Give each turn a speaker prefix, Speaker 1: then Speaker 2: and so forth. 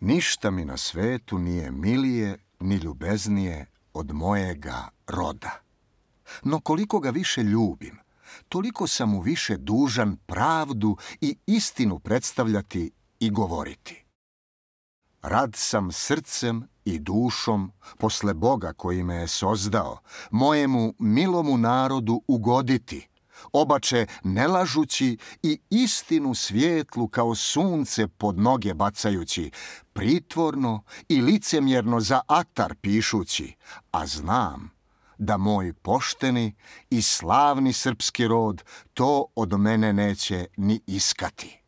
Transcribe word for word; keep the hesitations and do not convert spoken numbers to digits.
Speaker 1: Ništa mi na svetu nije milije ni ljubeznije od mojega roda. No koliko ga više ljubim, toliko sam mu više dužan pravdu i istinu predstavljati i govoriti. Rad sam srcem i dušom posle Boga koji me je sozdao, mojemu milomu narodu ugoditi, obače ne lažući i istinu svijetlu kao sunce pod noge bacajući, pritvorno i licemjerno za atar pišući, a znam da moj pošteni i slavni srpski rod to od mene neće ni iskati.